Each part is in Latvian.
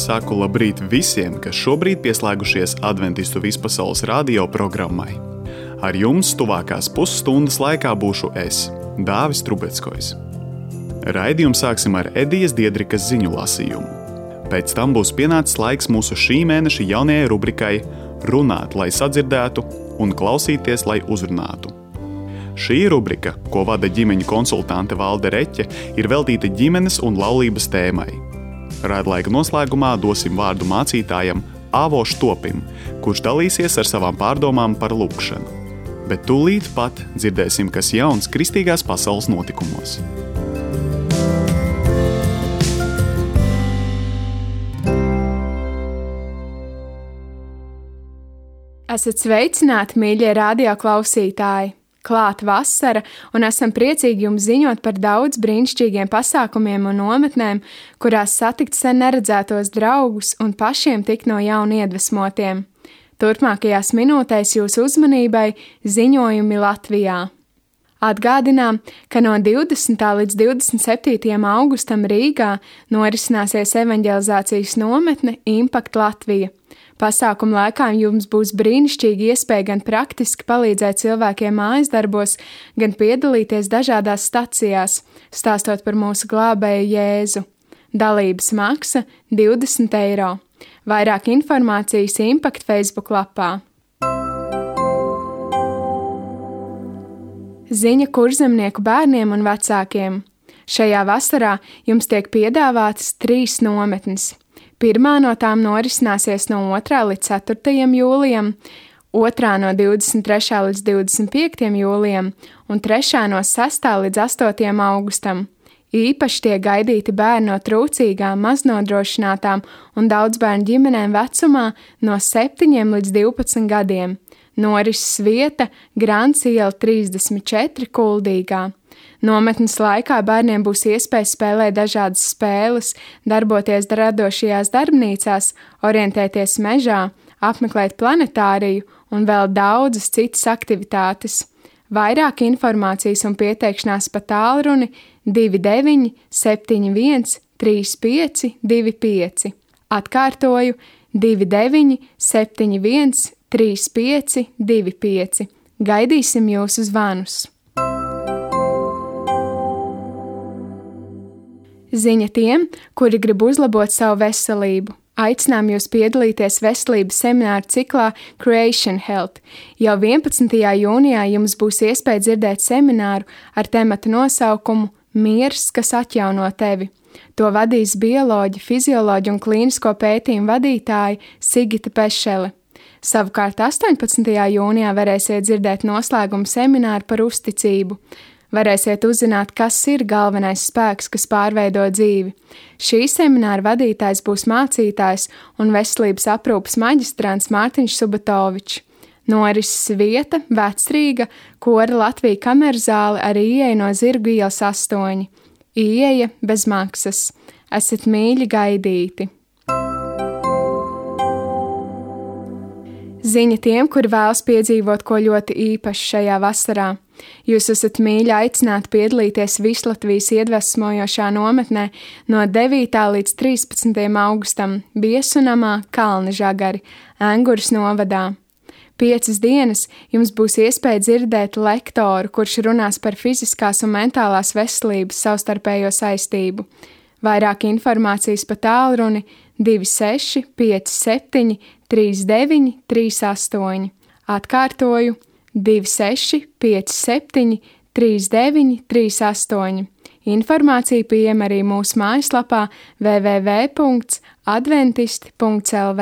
saku labrīt visiem, kas šobrīd pieslēgušies Adventistu vispasaules radio programmai. Ar jums tuvākās pusstundas laikā būšu es, Dāvis Trubeckojs. Raidījumu sāksim ar Edijas Diedrikas ziņu lasījumu. Pēc tam būs pienācis laiks mūsu šī mēneša jaunajai rubrikai Runāt, lai sadzirdētu un klausīties, lai uzrunātu. Šī rubrika, ko vada ģimeņu konsultante Valde Reķe, ir veltīta ģimenes un laulības tēmai. Raidlaika noslēgumā dosim vārdu mācītājam Āvo Štopim, kurš dalīsies ar savām pārdomām par lūgšanu. Bet tūlīt pat dzirdēsim, kas jauns kristīgās pasaules notikumos. Esat sveicināti, mīļie radio klausītāji! Klāt vasara, un esam priecīgi jums ziņot par daudz brīnišķīgiem pasākumiem un nometnēm, kurās satikt sen neredzētos draugus un pašiem tikt no jauna iedvesmotiem. Turpmākajās minūtēs jūsu uzmanībai ziņojumi Latvijā. Atgādinām, ka no 20. līdz 27. augustam Rīgā norisināsies evaņģelizācijas nometne Impact Latvija. Pasākuma laikā jums būs brīnišķīgi iespēja gan praktiski palīdzēt cilvēkiem mājas darbos, gan piedalīties dažādās stacijās, stāstot par mūsu glābēju Jēzu. Dalības maksa 20 eiro. Vairāk informācijas Impact Facebook lapā. Ziņa kurzemnieku bērniem un vecākiem. Šajā vasarā jums tiek piedāvātas 3 nometnes. Pirmā no tām norisināsies no 2. līdz 4. jūlijam, otrā no 23. līdz 25. jūlijam un 3. no 6. līdz 8. augustam. Īpaši tiek gaidīti bērni no trūcīgām, maznodrošinātām un daudzbērnu ģimenēm vecumā no 7 līdz 12 gadiem. Norises vieta Grants iela 34 Kuldīgā. Nometnes laikā bērniem būs iespēja spēlēt dažādas spēles, darboties radošajās darbnīcās, orientēties mežā, apmeklēt planetāriju un vēl daudzas citas aktivitātes. Vairāk informācijas un pieteikšanās pa tālruni 29 71 35 25. Atkārtoju 29 71 35 25. Gaidīsim jūsu zvanus! Ziņa tiem, kuri grib uzlabot savu veselību. Aicinām jūs piedalīties veselības semināru ciklā Creation Health. Jau 11. jūnijā jums būs iespēja dzirdēt semināru ar tematu nosaukumu Miers, kas atjauno tevi. To vadīs bioloģi, fizioloģi un klīnisko pētījumu vadītāji Sigita Pešele. Savukārt 18. jūnijā varēsiet dzirdēt noslēgumu semināru par uzticību. Varēsiet uzzināt, kas ir galvenais spēks, kas pārveido dzīvi. Šī semināra vadītājs būs mācītājs un veselības aprūpes maģistrants Mārtiņš Subatovičs. Norises vieta Vecrīga, Kora Latvija kamerzāle ar ieeju no Zirgu ielas 8. Ieeja bez maksas. Esat mīļi gaidīti! Ziņa tiem, kuri vēlas piedzīvot ko ļoti īpašu šajā vasarā. Jūs esat mīļi aicināti piedalīties Vislatvijas iedvesmojošā nometnē no 9. līdz 13. augustam Viesunamā Kalnižagari, Enguras novadā. 5 dienas jums būs iespēja dzirdēt lektoru, kurš runās par fiziskās un mentālās veselības savstarpējo saistību. Vairāk informācijas pa tālruni 26 57 39 38. Atkārtoju 26 57 39 38. Informācija pieejama arī mūsu mājaslapā www.adventisti.lv.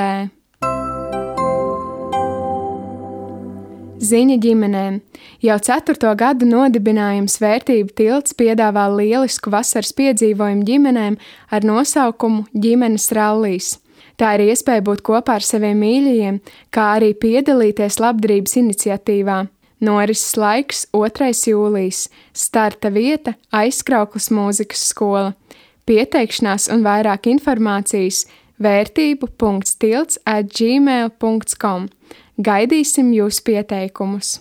Ziņa ģimenēm. Jau 4. gadu nodibinājums Vērtību tilts piedāvā lielisku vasaras piedzīvojumu ģimenēm ar nosaukumu Ģimenes rallijas. Tā ir iespēja būt kopā ar saviem mīļajiem, kā arī piedalīties labdarības iniciatīvā. Norises laiks 2. jūlijas. Starta vieta Aizkrauklas mūzikas skola. Pieteikšanās un vairāk informācijas vērtību.tilts@gmail.com. Gaidīsim jūsu pieteikumus!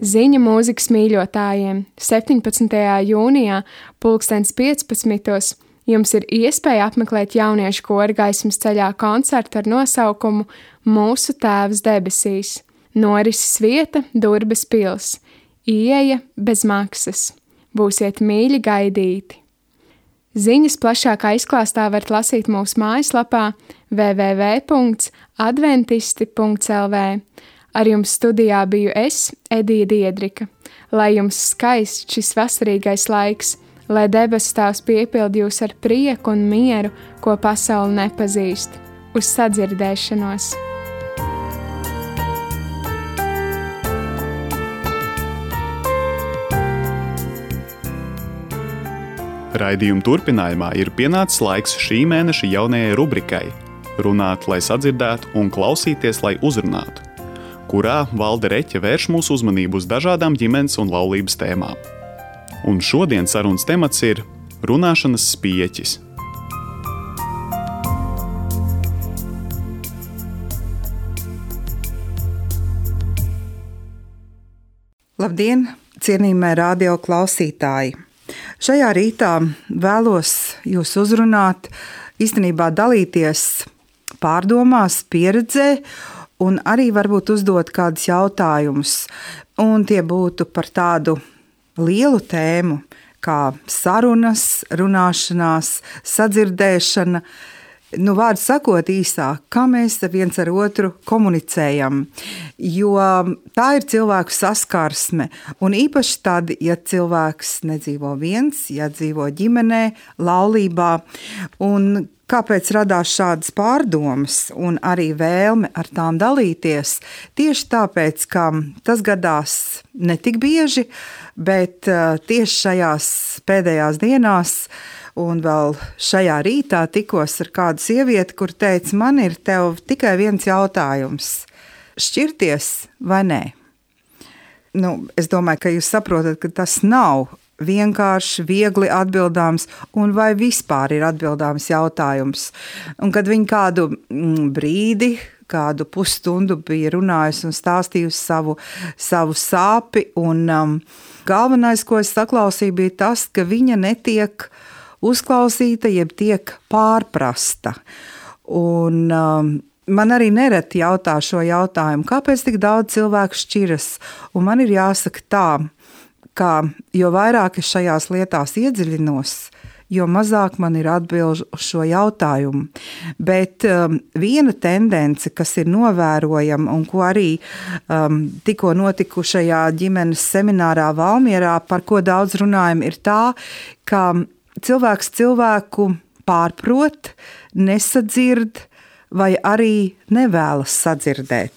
Ziņa mūzikas mīļotājiem 17. jūnijā 15:15. Jums ir iespēja apmeklēt jauniešu kora Gaismas ceļā koncertu ar nosaukumu Mūsu Tēvs debesīs. Norises vieta Durbes pils. Ieeja bez maksas. Būsiet mīļi gaidīti. Ziņas plašākā izklāstā varat lasīt mūsu mājaslapā www.adventisti.lv. Ar jums studijā biju es, Edija Diedrika. Lai jums skaists šis vasarīgais laiks, lai debesu Tēvs piepildi jūs ar prieku un mieru, ko pasaule nepazīst. Uz sadzirdēšanos! Raidījuma turpinājumā ir pienācis laiks šī mēneša jaunajai rubrikai Runāt, lai sadzirdētu un klausīties, lai uzrunātu, kurā Valde Reķe vērš mūsu uzmanību uz dažādām ģimenes un laulības tēmām. Un šodien sarunas temats ir runāšanas spieķis. Labdien, cienījamie radio klausītāji! Šajā rītā vēlos jūs uzrunāt, īstenībā dalīties pārdomās, pieredzē un arī varbūt uzdot kādus jautājumus. Un tie būtu par tādu lielu tēmu kā sarunas, runāšanās, sadzirdēšana. Vārdu sakot īsāk, kā mēs viens ar otru komunicējam, jo tā ir cilvēku saskarsme. Un īpaši tad, ja cilvēks nedzīvo viens, ja dzīvo ģimenē, laulībā. Un kāpēc radās šādas pārdomas un arī vēlme ar tām dalīties? Tieši tāpēc, ka tas gadās ne tik bieži, bet tieši šajās pēdējās dienās un vēl šajā rītā tikos ar kādu sievieti, kur teica, man ir tev tikai viens jautājums. Šķirties vai nē? Es domāju, ka jūs saprotat, ka tas nav vienkārši, viegli atbildāms un vai vispār ir atbildāms jautājums. Un kad viņi kādu brīdi, kādu pusstundu bija runājusi un stāstījusi savu sāpi, un galvenais, ko es saklausīju, bija tas, ka viņa netiek uzklausīta, jeb tiek pārprasta. Un man arī nereti jautā šo jautājumu, kāpēc tik daudz cilvēku šķiras? Un man ir jāsaka tā, ka jo vairāk es šajās lietās iedziļinos, jo mazāk man ir atbilžu uz šo jautājumu. Bet viena tendence, kas ir novērojama un ko arī tikko notikušajā ģimenes seminārā Valmierā, par ko daudz runājam, ir tā, ka cilvēks cilvēku pārprot, nesadzird vai arī nevēlas sadzirdēt.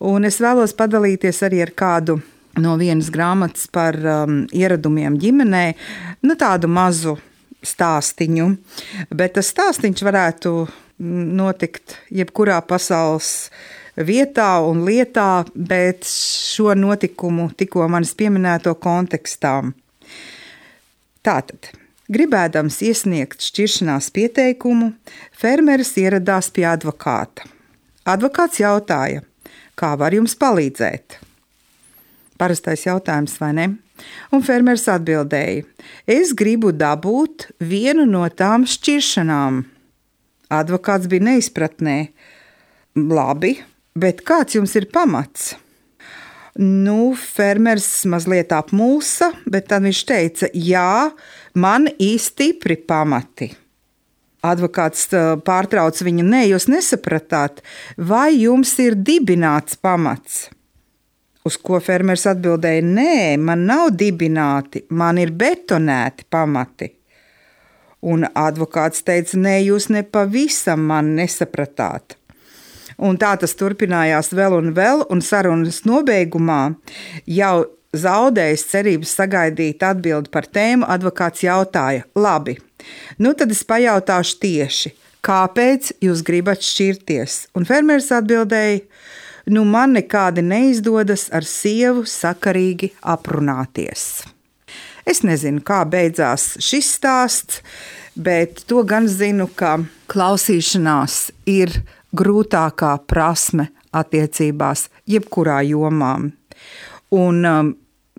Un es vēlos padalīties arī ar kādu no vienas grāmatas par ieradumiem ģimenē, tādu mazu stāstiņu, bet tas stāstiņš varētu notikt jebkurā pasaules vietā un lietā, bet šo notikumu tikko manis pieminēto kontekstā. Tātad, gribēdams iesniegt šķiršanās pieteikumu, fermeris ieradās pie advokāta. Advokāts jautāja, kā var jums palīdzēt? Parastais jautājums, vai ne? Un fermeris atbildēja, es gribu dabūt vienu no tām šķiršanām. Advokāts bija neizpratnē. Labi, bet kāds jums ir pamats? Fermeris mazliet apmulsa, bet tad viņš teica, jā, man stipri pamati. Advokāts pārtrauc viņu, nē, jūs nesapratāt, vai jums ir dibināts pamats? Uz ko fermeris atbildēja, nē, man nav dibināti, man ir betonēti pamati. Un advokāts teica, nē, jūs nepavisam man nesapratāt. Un tā tas turpinājās vēl, un sarunas nobeigumā jau zaudējis cerības sagaidīt atbildi par tēmu, advokāts jautāja, labi, tad es pajautāšu tieši, kāpēc jūs gribat šķirties? Un fermeris atbildēja, man nekādi neizdodas ar sievu sakarīgi aprunāties. Es nezinu, kā beidzās šis stāsts, bet to gan zinu, ka klausīšanās ir grūtākā prasme attiecībās jebkurā jomā. Un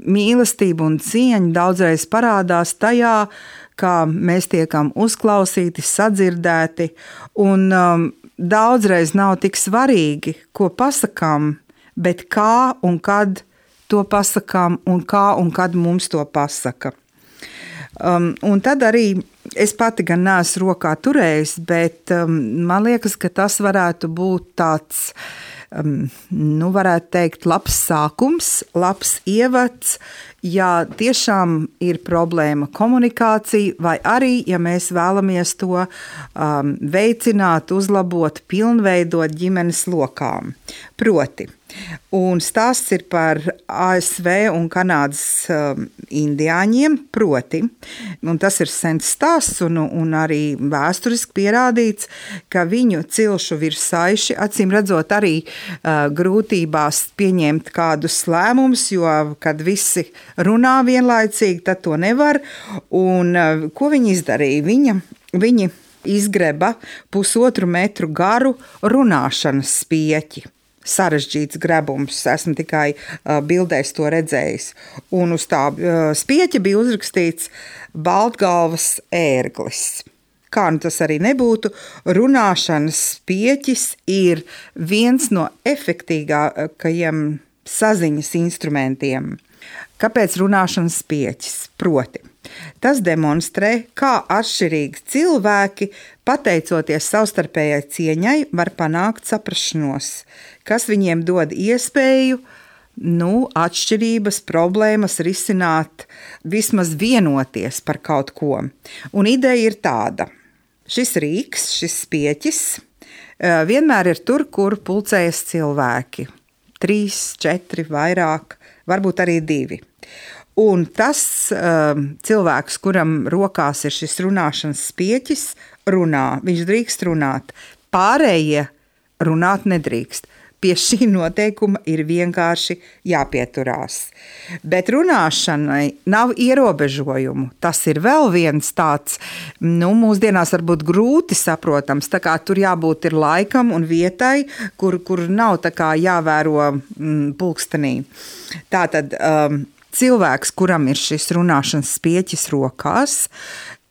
mīlestība un cieņa daudzreiz parādās tajā, kā mēs tiekam uzklausīti, sadzirdēti, un daudzreiz nav tik svarīgi, ko pasakām, bet kā un kad to pasakām un kā un kad mums to pasaka. Un tad arī es pati gan neesmu rokā turējis, bet man liekas, ka tas varētu būt tāds, varētu teikt, labs sākums, labs ievads, ja tiešām ir problēma komunikācija, vai arī, ja mēs vēlamies to veicināt, uzlabot, pilnveidot ģimenes lokām. Proti, un stāsts ir par ASV un Kanādas indiāņiem, proti, un tas ir sens stāsts un arī vēsturiski pierādīts, ka viņu cilšu virsaiši, acīm redzot arī grūtībās pieņemt kādus lēmumus, jo, kad visi runā vienlaicīgi, tad to nevar, un ko viņi izdarīja? Viņi izgreba 1,5 metru garu runāšanas spieķi. Sarežģīts grebums, esmu tikai bildēs to redzējis. Un uz tā spieķa bija uzrakstīts Baltgalvas ērglis. Kā nu tas arī nebūtu, runāšanas spieķis ir viens no efektīgākajiem saziņas instrumentiem. Kāpēc runāšanas spieķis? Proti, tas demonstrē, kā atšķirīgi cilvēki, pateicoties savstarpējai cieņai, var panākt saprašanos, kas viņiem dod iespēju atšķirības, problēmas risināt, vismaz vienoties par kaut ko. Un ideja ir tāda. Šis rīks, šis spieķis vienmēr ir tur, kur pulcējas cilvēki. 3, 4, vairāk, varbūt arī 2. Un tas cilvēks, kuram rokās ir šis runāšanas spieķis, runā, viņš drīkst runāt. Pārējie runāt nedrīkst. Pie šī noteikuma ir vienkārši jāpieturās. Bet runāšanai nav ierobežojumu. Tas ir vēl viens tāds, mūsdienās varbūt grūti saprotams, tā kā tur jābūt ir laikam un vietai, kur nav tā kā jāvēro pulkstenī. Tātad cilvēks, kuram ir šis runāšanas spieķis rokās,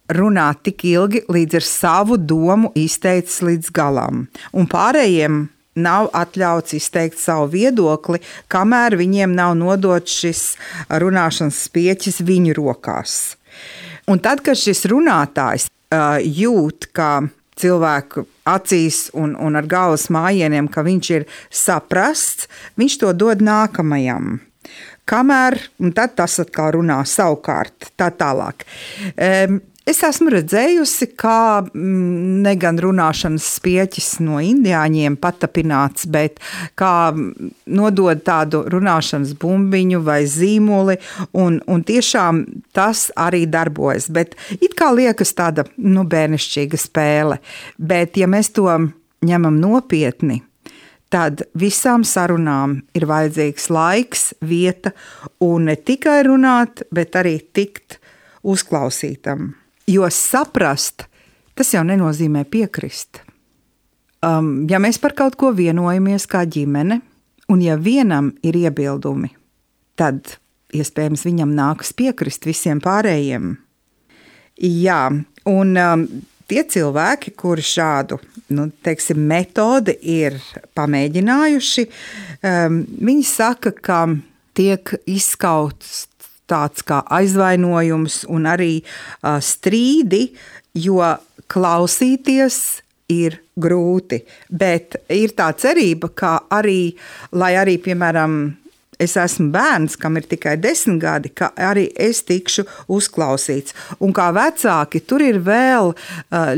runā tik ilgi, līdz ar savu domu izteicis līdz galam. Un pārējiem nav atļauts izteikt savu viedokli, kamēr viņiem nav nodots šis runāšanas spieķis viņu rokās. Un tad, kad šis runātājs jūt, ka cilvēku acīs un ar galvas mājieniem, ka viņš ir saprasts, viņš to dod nākamajam. Kamēr, un tad tas atkal runā savukārt, tā tālāk. Es esmu redzējusi, kā negan runāšanas spieķis no indiāņiem patapināts, bet kā nodod tādu runāšanas bumbiņu vai zīmoli, un tiešām tas arī darbojas. Bet it kā liekas tāda bērnišķīga spēle, bet ja mēs to ņemam nopietni, tad visām sarunām ir vajadzīgs laiks, vieta un ne tikai runāt, bet arī tikt uzklausītam. Jo saprast, tas jau nenozīmē piekrist. Ja mēs par kaut ko vienojamies kā ģimene, un ja vienam ir iebildumi, tad iespējams viņam nākas piekrist visiem pārējiem. Jā, un tie cilvēki, kuri šādu metodi ir pamēģinājuši, viņi saka, ka tiek izskauts tāds kā aizvainojums un arī strīdi, jo klausīties ir grūti. Bet ir tā cerība, ka arī, lai arī, piemēram, es esmu bērns, kam ir tikai 10 gadi, ka arī es tikšu uzklausīts. Un kā vecāki, tur ir vēl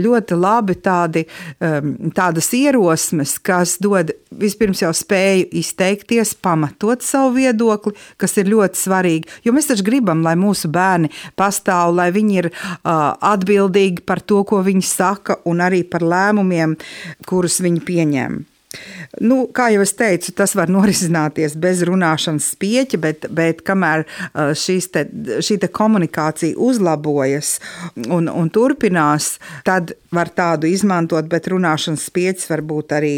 ļoti labi tādas ierosmes, kas dod vispirms jau spēju izteikties, pamatot savu viedokli, kas ir ļoti svarīgi. Jo mēs taču gribam, lai mūsu bērni pastāv, lai viņi ir atbildīgi par to, ko viņi saka, un arī par lēmumiem, kurus viņi pieņem. Kā jau es teicu, tas var norisināties bez runāšanas spieķa, bet kamēr šī komunikācija uzlabojas un turpinās, tad var tādu izmantot, bet runāšanas spieķis var būt arī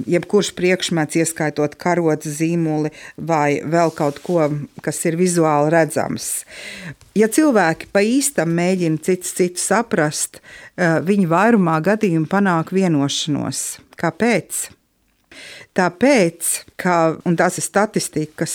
jebkurš priekšmets, ieskaitot karotes, zīmuli vai vēl kaut ko, kas ir vizuāli redzams. Ja cilvēki pa īstam mēģina citu saprast, viņi vairumā gadījumu panāk vienošanos. Kāpēc? Tāpēc, un tās ir statistikas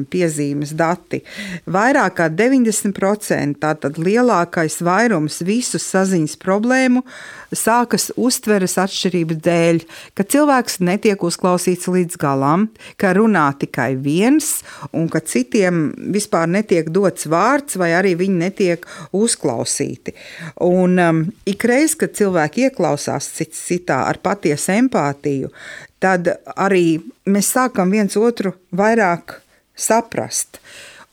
piezīmes dati, vairāk kā 90%, tātad lielākais vairums visu saziņas problēmu sākas uztveres atšķirību dēļ, ka cilvēks netiek uzklausīts līdz galam, ka runā tikai viens un ka citiem vispār netiek dots vārds vai arī viņi netiek uzklausīti. Un ikreiz, kad cilvēki ieklausās cits citā ar patiesu empātiju, tad arī mēs sākam viens otru vairāk saprast.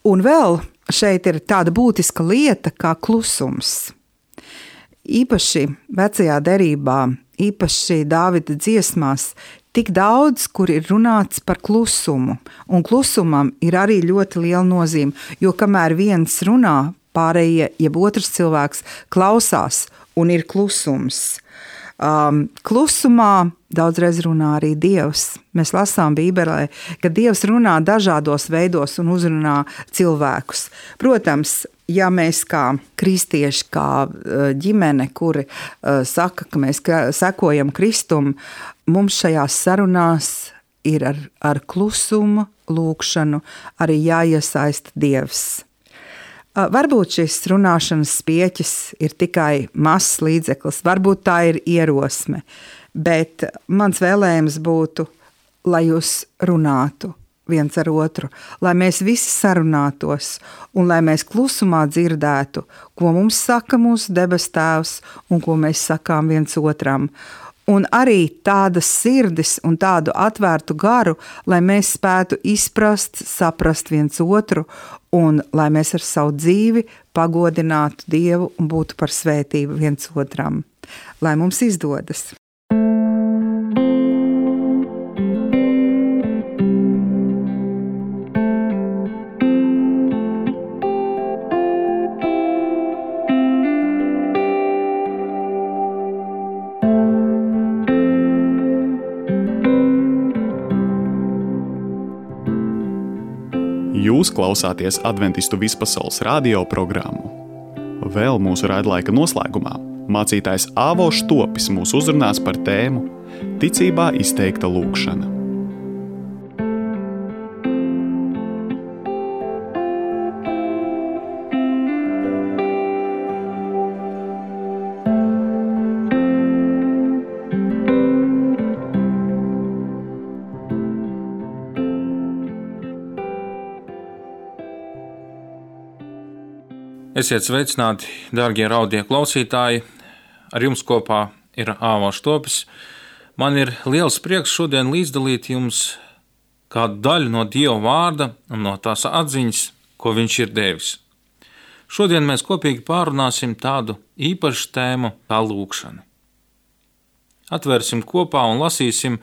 Un vēl šeit ir tāda būtiska lieta kā klusums. Īpaši vecajā derībā, īpaši Dāvida dziesmās, tik daudz, kur ir runāts par klusumu. Un klusumam ir arī ļoti liela nozīme, jo kamēr viens runā, pārējie, jeb otrs cilvēks klausās un ir klusums. Klusumā daudzreiz runā arī Dievs. Mēs lasām Bībelē, ka Dievs runā dažādos veidos un uzrunā cilvēkus. Protams, ja mēs kā kristieši, kā ģimene, kuri saka, ka mēs sekojam Kristum, mums šajās sarunās ir ar klusumu, lūgšanu arī jāiesaista Dievs. Varbūt šis runāšanas spieķis ir tikai mazs līdzeklis, varbūt tā ir ierosme, bet mans vēlējums būtu, lai jūs runātu viens ar otru, lai mēs visi sarunātos un lai mēs klusumā dzirdētu, ko mums saka mūsu debes Tēvs un ko mēs sakām viens otram. Un arī tādas sirdis un tādu atvērtu garu, lai mēs spētu izprast, saprast viens otru un lai mēs ar savu dzīvi pagodinātu Dievu un būtu par svētību viens otram. Lai mums izdodas! Jūs klausāties Adventistu vispasaules radio programmu. Vēl mūsu raidlaika noslēgumā mācītājs Āvo Štopis mūs uzrunās par tēmu Ticībā izteikta lūgšana. Esiet sveicināti, dārgie radio klausītāji! Ar jums kopā ir Āvo Štopis. Man ir liels prieks šodien līdzdalīt jums kādu daļu no Dieva vārda un no tās atziņas, ko viņš ir devis. Šodien mēs kopīgi pārunāsim tādu īpašu tēmu kā lūgšana. Atvērsim kopā un lasīsim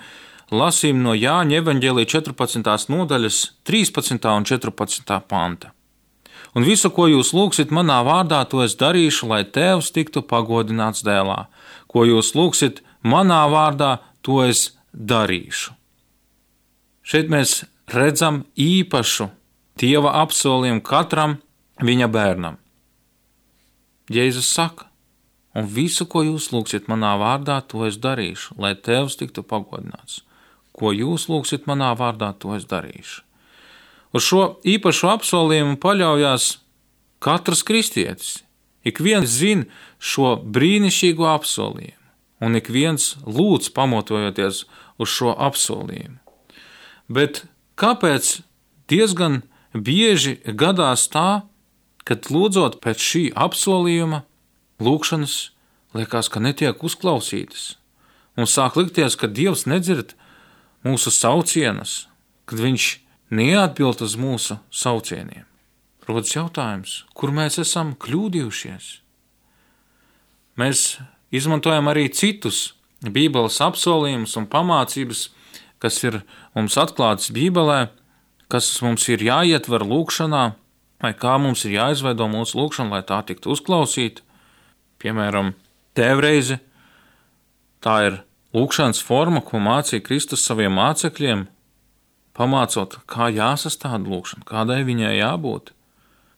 no Jāņa evaņģēlija 14. nodaļas 13. un 14. panta. Un visu, ko jūs lūgsit manā vārdā, to es darīšu, lai Tēvs tiktu pagodināts dēlā. Ko jūs lūgsit manā vārdā, to es darīšu. Šeit mēs redzam īpašu Dieva apsolījumu katram viņa bērnam. Jēzus saka, un visu, ko jūs lūgsit manā vārdā, to es darīšu, lai Tēvs tiktu pagodināts. Ko jūs lūgsit manā vārdā, to es darīšu. Uz šo īpašu apsolījumu paļaujās katrs kristietis. Ik viens zina šo brīnišķīgo apsolījumu, un ik viens lūdz pamatojoties uz šo apsolījumu. Bet kāpēc diezgan bieži gadās tā, kad lūdzot pēc šī apsolījuma, lūgšanas liekas, ka netiek uzklausītas, un sāk likties, ka Dievs nedzird mūsu saucienus, kad viņš neatbild uz mūsu saucieniem. Rodas jautājums, kur mēs esam kļūdījušies? Mēs izmantojam arī citus Bībeles apsolījumus un pamācības, kas ir mums atklātas Bībelē, kas mums ir jāietver lūkšanā, vai kā mums ir jāizveido mūsu lūkšana, lai tā tiktu uzklausīta. Piemēram, tēvreize, tā ir lūkšanas forma, ko mācīja Kristus saviem mācekļiem, pamācot, kā jāsastāda lūkšana, kādai viņai jābūt.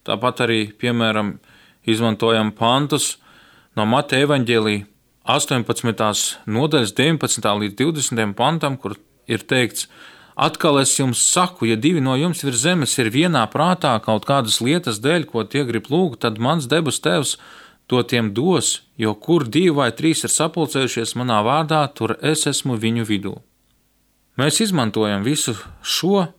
Tāpat arī, piemēram, izmantojam pantus no Mateja evaņģēlija 18. nodaļas 19. līdz 20. pantam, kur ir teikts: atkal es jums saku, ja 2 no jums virs zemes ir vienā prātā kaut kādas lietas dēļ, ko tie grib lūgt, tad mans debes Tēvs to tiem dos, jo kur 2 vai 3 ir sapulcējušies manā vārdā, tur es esmu viņu vidū. Mēs izmantojam visu šo,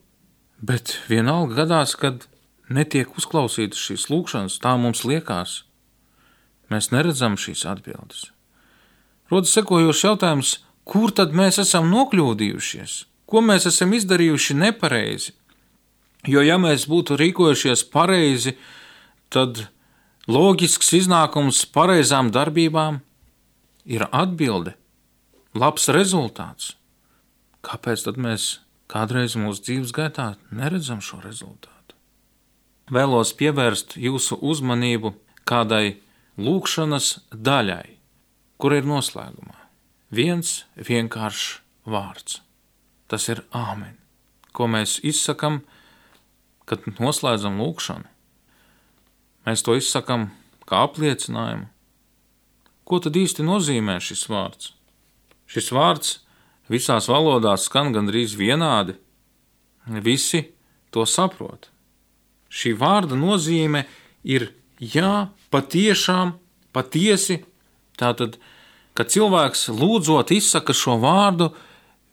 bet vienalga gadās, kad netiek uzklausītas šīs lūkšanas, tā mums liekas. Mēs neredzam šīs atbildes. Rodas sekojošs jautājums, kur tad mēs esam nokļūdījušies? Ko mēs esam izdarījuši nepareizi? Jo ja mēs būtu rīkojušies pareizi, tad loģisks iznākums pareizām darbībām ir atbilde, labs rezultāts. Kāpēc tad mēs kādreiz mūsu dzīves gaitā neredzam šo rezultātu? Vēlos pievērst jūsu uzmanību kādai lūkšanas daļai, kur ir noslēgumā viens vienkāršs vārds. Tas ir āmen, ko mēs izsakam, kad noslēdzam lūkšanu. Mēs to izsakam kā apliecinājumu. Ko tad īsti nozīmē šis vārds? Šis vārds visās valodās skan gandrīz vienādi. Visi to saprot. Šī vārda nozīme ir jā, patiešām, patiesi. Tātad, kad cilvēks lūdzot izsaka šo vārdu,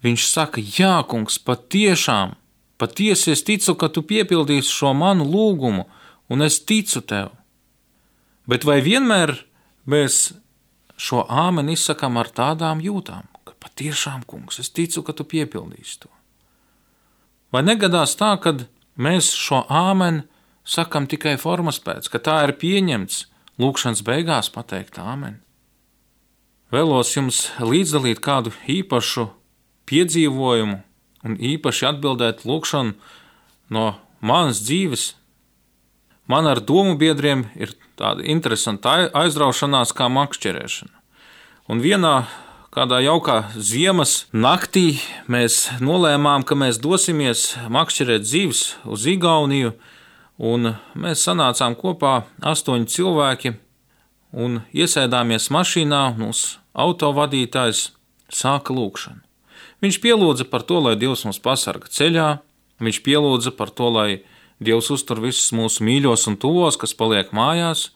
viņš saka: jā, kungs, patiešām, patiesi es ticu, ka tu piepildīsi šo manu lūgumu, un es ticu tev. Bet vai vienmēr mēs šo āmeni izsakam ar tādām jūtām, ka patiešām, kungs, es ticu, ka tu piepildīsi to? Vai negadās tā, kad mēs šo āmeni sakam tikai formas pēc, ka tā ir pieņemts lūkšanas beigās pateikt āmeni? Vēlos jums līdzdalīt kādu īpašu piedzīvojumu un īpaši atbildēt lūkšanu no manas dzīves. Man ar domu biedriem ir tāda interesanta aizraušanās kā makšķerēšana. Un vienā kādā jaukā ziemas naktī mēs nolēmām, ka mēs dosimies makšķerēt zivis uz Igauniju, un mēs sanācām kopā 8 cilvēki un iesēdāmies mašīnā, mūsu autovadītājs sāka lūkšanu. Viņš pielūdza par to, lai Dievs mūs pasarga ceļā, viņš pielūdza par to, lai Dievs uztur visus mūsu mīļos un tuvos, kas paliek mājās,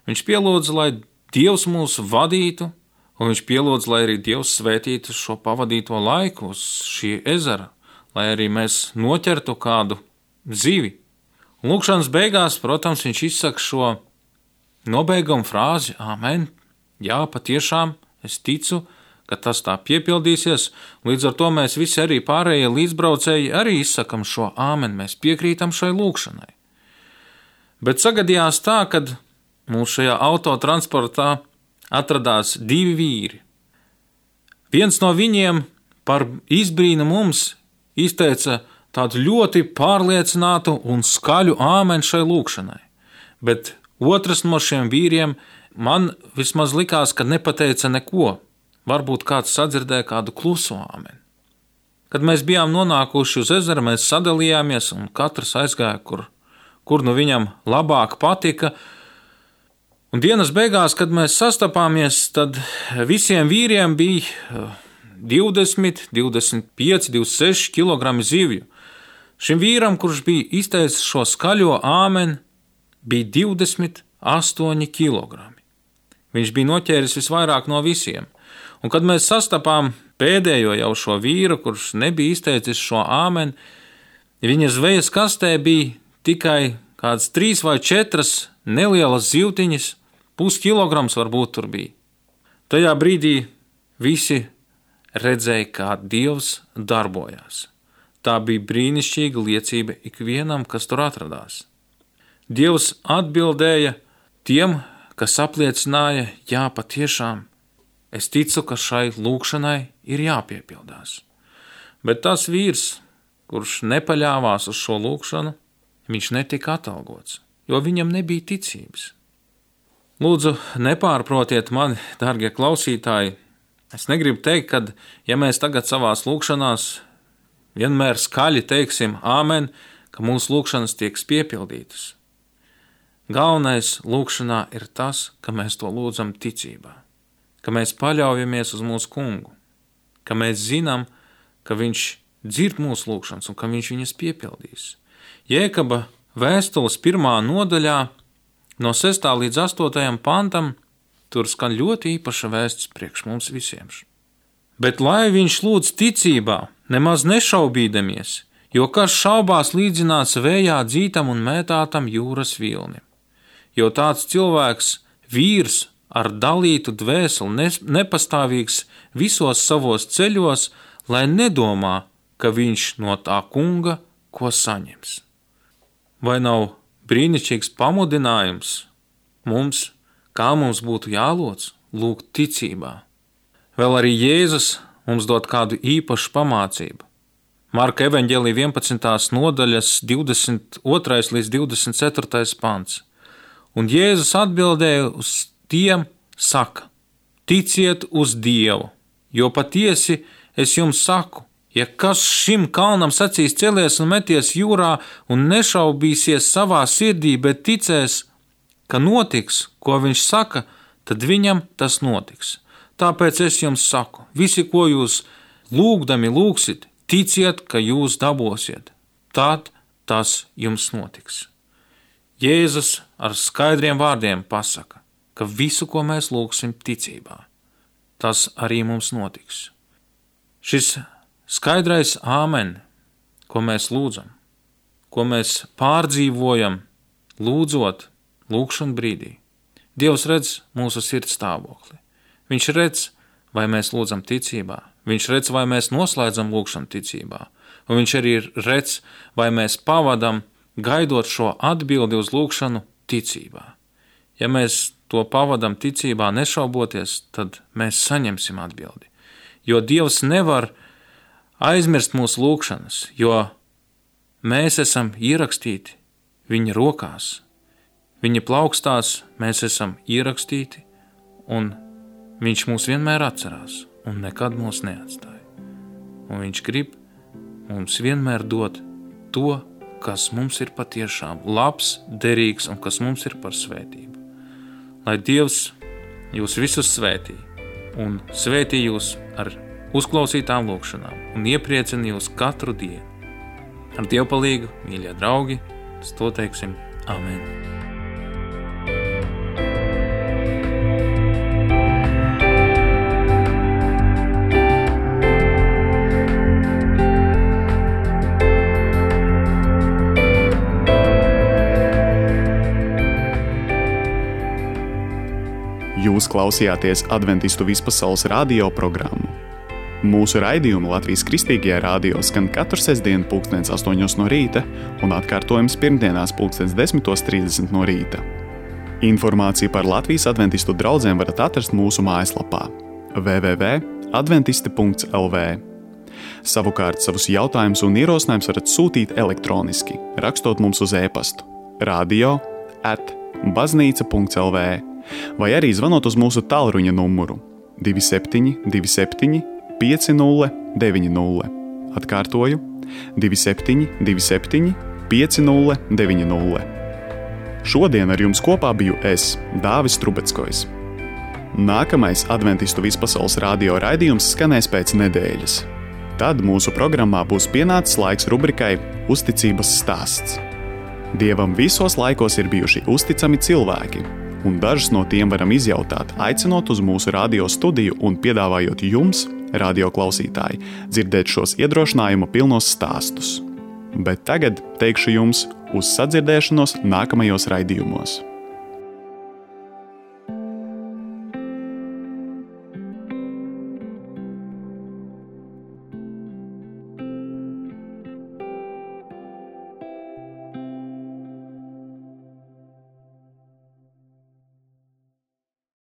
viņš pielūdza, lai Dievs mūs vadītu, un viņš pielūdza, lai arī Dievs svētītu šo pavadīto laiku uz šī ezera, lai arī mēs noķertu kādu zivi. Un lūkšanas beigās, protams, viņš izsaka šo nobeigumu frāzi: āmen, jā, patiešām, es ticu, ka tas tā piepildīsies. Līdz ar to mēs visi arī pārējie līdzbraucēji arī izsakam šo āmen, mēs piekrītam šai lūkšanai. Bet sagadījās tā, kad mūsu šajā autotransportā atradās 2 vīri. Viens no viņiem par izbrīnu mums izteica tādu ļoti pārliecinātu un skaļu āmeni šai lūkšanai. Bet otrs no šiem vīriem man vismaz likās, ka nepateica neko. Varbūt kāds sadzirdēja kādu kluso āmeni. Kad mēs bijām nonākuši uz ezera, mēs sadalījāmies un katrs aizgāja, kur nu viņam labāk patika. Un dienas beigās, kad mēs sastapāmies, tad visiem vīriem bija 20, 25, 26 kg zivju. Šim vīram, kurš bija izteicis šo skaļo āmeni, bija 28 kg. Viņš bija noķēris visvairāk no visiem. Un kad mēs sastapām pēdējo jau šo vīru, kurš nebija izteicis šo āmeni, viņa zvejas kastē bija tikai kāds 3 vai 4 nelielas zivtiņas, 0,5 kilograms varbūt tur bija. Tajā brīdī visi redzēja, kā Dievs darbojās. Tā bija brīnišķīga liecība ikvienam, kas tur atradās. Dievs atbildēja tiem, kas apliecināja: jā, patiešām, es ticu, ka šai lūkšanai ir jāpiepildās. Bet tas vīrs, kurš nepaļāvās uz šo lūkšanu, viņš netika atalgots, jo viņam nebija ticības. Lūdzu, nepārprotiet mani, dārgie klausītāji. Es negribu teikt, ka, ja mēs tagad savās lūkšanās vienmēr skaļi teiksim āmen, ka mūsu lūkšanas tiek piepildītas. Galvenais lūkšanā ir tas, ka mēs to lūdzam ticībā, ka mēs paļaujamies uz mūsu kungu, ka mēs zinām, ka viņš dzird mūsu lūkšanas un ka viņš viņas piepildīs. Jēkaba vēstules 1. nodaļā no 6. līdz 8. pantam tur skan ļoti īpaša vēsts priekš mums visiem. Bet lai viņš lūdz ticībā, nemaz nešaubīdamies, jo kas šaubās līdzināts vējā dzītam un mētātam jūras vilnim. Jo tāds cilvēks, vīrs ar dalītu dvēseli, nepastāvīgs visos savos ceļos, lai nedomā, ka viņš no tā kunga ko saņems. Vai nav brīnišķīgs pamudinājums mums, kā mums būtu jālūdz, lūgt ticībā? Vēl arī Jēzus mums dod kādu īpašu pamācību. Marka evaņģēlija 11. nodaļas 22. līdz 24. pants. Un Jēzus atbildēja uz tiem, saka: ticiet uz Dievu, jo patiesi es jums saku, ja kas šim kalnam sacīs celies un meties jūrā un nešaubīsies savā sirdī, bet ticēs, ka notiks, ko viņš saka, tad viņam tas notiks. Tāpēc es jums saku, visi, ko jūs lūgdami lūgsit, ticiet, ka jūs dabosiet. Tad tas jums notiks. Jēzus ar skaidriem vārdiem pasaka, ka visu, ko mēs lūgsim ticībā, tas arī mums notiks. Šis skaidrais āmen, ko mēs lūdzam, ko mēs pārdzīvojam, lūdzot lūkšanu brīdī. Dievs redz mūsu sirds stāvokli. Viņš redz, vai mēs lūdzam ticībā, viņš redz, vai mēs noslēdzam lūkšanu ticībā, un viņš arī redz, vai mēs pavadam, gaidot šo atbildi uz lūkšanu ticībā. Ja mēs to pavadam ticībā nešauboties, tad mēs saņemsim atbildi, jo Dievs nevar aizmirst mūsu lūkšanas, jo mēs esam ierakstīti viņa rokās, viņa plaukstās mēs esam ierakstīti, un viņš mūs vienmēr atcerās un nekad mūs neatstāja. Un viņš grib mums vienmēr dot to, kas mums ir patiešām labs, derīgs un kas mums ir par svētību. Lai Dievs jūs visus svētī un svētī jūs ar uzklausītām lūkšanām un iepriecina jūs katru dienu. Ar Dievu palīgu, mīļie draugi, to teiksim amen. Jūs klausījāties Adventistu vispasaules radio programmu. Mūsu raidījumu Latvijas Kristīgajā radio skan katru sestdienu 8:00 no rīta un atkārtojums pirmdienās 10:30 no rīta. Informāciju par Latvijas adventistu draudzīm varat atrast mūsu mājaslapā www.adventisti.lv. Savukārt savus jautājumus un ierosinājumus varat sūtīt elektroniski, rakstot mums uz e-pastu radio@baznīca.lv vai arī zvanot uz mūsu tālruņa numuru 2727 5090. Atkārtoju 2727 5090. Šodien ar jums kopā biju es, Dāvis Trubeckojs. Nākamais adventistu vispasaules radio raidījums skanēs pēc nedēļas. Tad mūsu programmā būs pienācis laiks rubrikai Uzticības stāsts. Dievam visos laikos ir bijuši uzticami cilvēki, un dažus no tiem varam izjautāt, aicinot uz mūsu radio studiju un piedāvājot jums, radio klausītāji, dzirdēt šos iedrošinājumu pilnos stāstus. Bet tagad teikšu jums uz sadzirdēšanos nākamajos raidījumos.